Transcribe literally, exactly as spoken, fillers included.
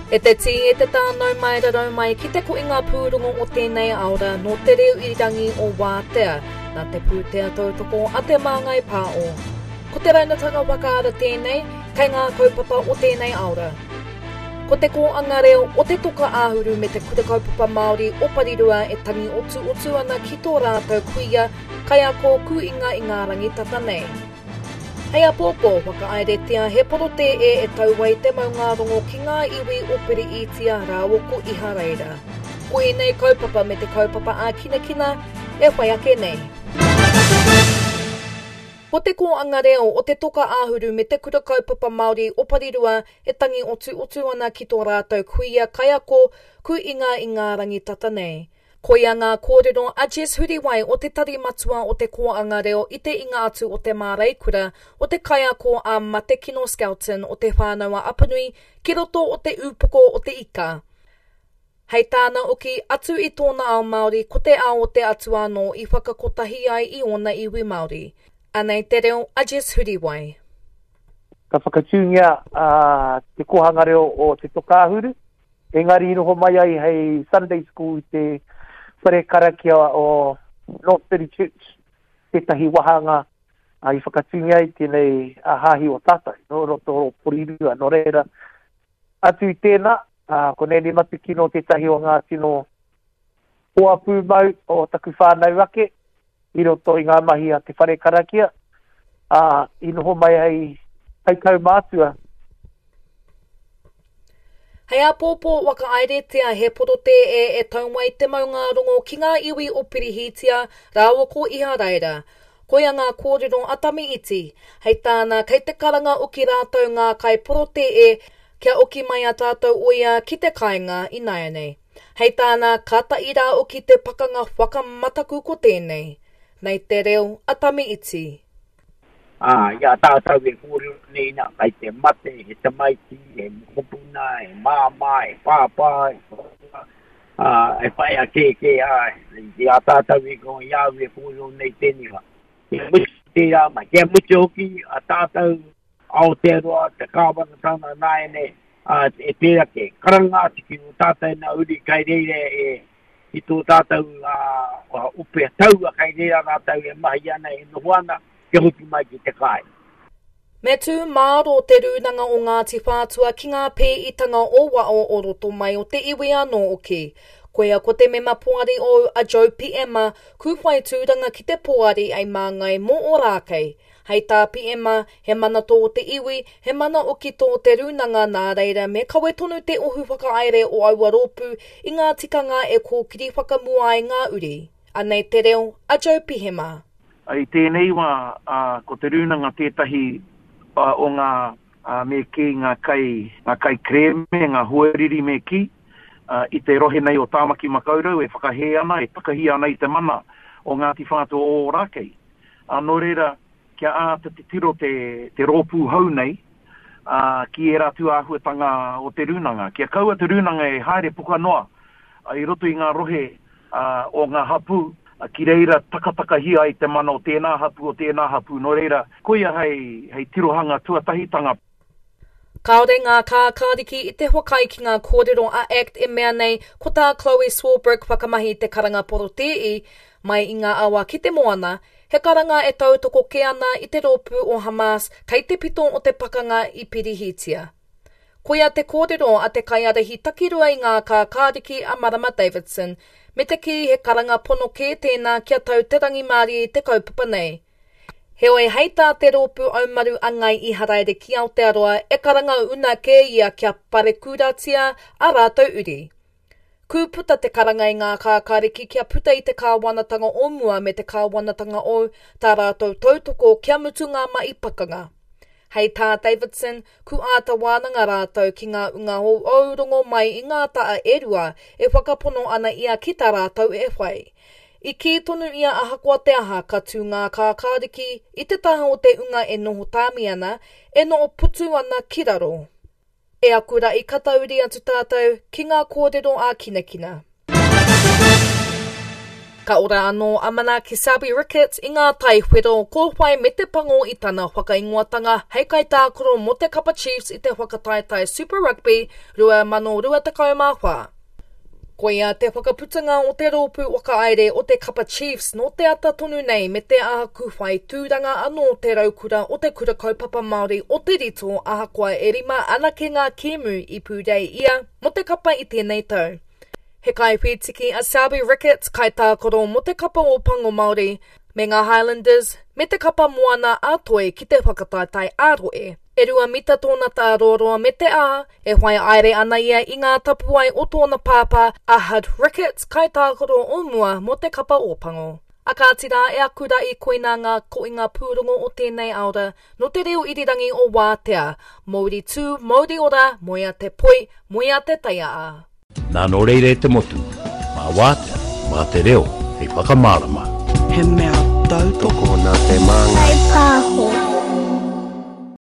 E te tī, e te tānau mai rarau mai ki te koinga pūrongo o tēnei aora nō te reo irirangi o Wātea, nā te pūtea tautoko a te Māngai Pāo. Ko te raunatanga whakaara tēnei, kei ngā kaupapa o tēnei aora. Ko te kōanga reo o te toka āhuru me te kura kaupapa Māori o Parirua e tangi otu otu ana ki tō rātou kuia, kaiako kuinga i ngā rangi tata nei. Hei apōpō, whakahaeretia he porotēe e tau ai te maungārongo ki ngā iwi o Piriitia rāua ko Iharaira. Ko ēnei kaupapa me te kaupapa ā-kinakina e whai ake nei. Ko te kōanga reo o te toka āhuru me te kura kaupapa Māori o Parirua e tangi otu otu ana ki tō rātou kuia kaiako kuinga i ngā rangi tata nei. Koia ngā kōrero a Jess Huriwai o te tari matua o te kōanga reo i te inga atu o te māreikura o te kaiako a Matekino Skelton o te whānau a Apanui ki roto o te ūpoko o te ika. Hei tāna oki, atu i tōna ao Māori, ko te ao o te atua anō i whakakotahi ai i ōna iwi Māori. Anei te reo a Jess Huriwai. Ka whakatūngia uh, te kōhanga reo o te Toka Āhuru, engari i noho mai ai hei Sunday School i te whare karakia o North City Church, tētahi wahanga uh, i whakatūngia ai tēnei uh, hāhi o tātou, no roto o Porirua. Nō reira, atu i tēnā, uh, ko Nene Matekino tētahi o ngā tino hoa pūmau o taku whānau ake, i roto i ngā mahi a te whare karakia, uh, i noho mai hei, hei kaumātua. Hei apōpō whakahaeretia he porotēe e tau ai te maungārongo ki ngā iwi o Pirihitia rāua ko Iharaira. Koia ngā kōrero a Tami Iti. Hei tāna, kei te karanga oki rātou ngā kai porotēe kia oki mai a tātou oia ki te kāinga ināianei. Hei tāna, ka taira oki te pakanga whakamataku ko tēnei. Nei te reo a Tami Iti. Ā, i a tātou e kōrero nei nā, kai te mate, he tamaiti, he mokopuna, he māmā, he pāpā, he koroua, ā, he whaea kēkē, ā, i a tātou e ko i au e kōrero nei tēnei wā. Kia mutu tērā mai, kia mutu hoki a tātou Aotearoa, te kāwanatanga nāianei, ā, e tērā ke karanga atu ki o tātou nā uri kai reira e ki tō tātou uh, ope taua kai reira rātou e mahi ana, e noho ana, kia hoki mai ki te kāinga. Me tū māro te rūnanga o Ngāti Whātua ki ngā pēitanga o wao o roto mai o te iwi anō oki. Koia ko te mema poari o a Joe Piema, ku whai tūranga ki te poari ei māngai mō Ōrākei. Hei tā Piema, he mana tō te iwi, he mana oki tō te rūnanga nā reira me kawe tonu te ohu whakahaere o aua rōpū i ngā tikanga e kōkiri whakamua ai ngā uri. Anei te reo a Joe Pihema. I tēnei wā, uh, ko te rūnanga tētahi uh, o ngā uh, me kī ngā kai, ngā kai krēme, ngā hoariri me kī, uh, i te rohe nei o Tāmaki Makaurau e whakahē ana, e takahi ana i te mana o Ngāti Whātua o Ōrākei. Uh, nō reira, kia āta titiro te, te rōpū hou nei uh, ki ērā tūāhuatanga o te rūnanga. Kia kaua te rūnanga e haere puka noa uh, i roto i ngā rohe uh, o ngā hapū, uh, ki reira takatakahia ai te mana o tēnā hapū, o tēnā hapū. Nō reira, koia hei, hei tirohanga tuatahitanga. Kāore ngā kākāriki i te whakaae ki ngā kōrero a ACT e mea nei ko tā Chloe Swarbrick whakamahi te karanga porotēi mai i ngā awa ki te moana, he karanga e tautoko kē ana i te rōpū o Hamas kei te pito o te pakanga i Pirihitia. Koia te kōrero a te kaiārahi takirua i ngā kākāriki a Marama Davidson, me te kī he karanga pono kē tēnā kia tau te rangimārie i te kaupapa nei. Heoi hei tā te rōpū aumaru a Ngai Iharaere ki Aotearoa e karanga una kē ia kia parekuratia a rātou uri. Kū puta te karanga i ngā kākāriki kia puta i te kāwanatanga o mua me te kāwanatanga o tā rātou tautoko kia mutu ngā mahi pakanga. Hei tā Davidson, ku āta wānanga rātou ki ngā unga hou rongo mai i ngā taa e rua e whakapono ana ia ki tā rātou e whai. I kī tonu ia ahakoa te aha ka tū ngā kākāriki i te taha o te unga e noho tāmi ana, e noho putu ana ki raro. E aku rai ka tauri atu tātou ki ngā kōrero ā kinakina. Ka ora anō a Manaaki Selby Ricketts i ngā tai whero kōwhai me te pango i tana whakaingoatanga hei kaitākaro mō te kapa Chiefs i te whakataetae Super Rugby rua mano rua tekau mā whā. Koia te whakaputanga o te rōpū whakahaere o te kapa Chiefs nō te ata tonu nei me te aha kūwhai tūranga anō te raukura o te Kura Kaupapa Māori o Te Rito ahakoa e rima anake ngā kēmu i pūrei ia mō te kapa i tēnei tau. He kaiwhītiki a Selby Ricketts kaitākaro mō te kapa o Pango Māori, me ngā Highlanders, me te kapa Moana a Toi ki te whakataetae ā-rohe. E rua mita tōna tāroaroa me te ā, e whai aere ana ia i ngā tapuwae o tōna pāpā a Hud Ricketts kaitākaro o mua mō te kapa Ōpango. A kāti rā e aku rā i koina ngā koinga pūrongo o tēnei aora no te reo irirangi o Wātea. Mauri tū, mauri ora, moea te poi, moea te taiaa. Nā nō reira e te motu, mā Wātea, mā te reo, hei whakamārama. He mea tautoko nā te māngai. Pāho.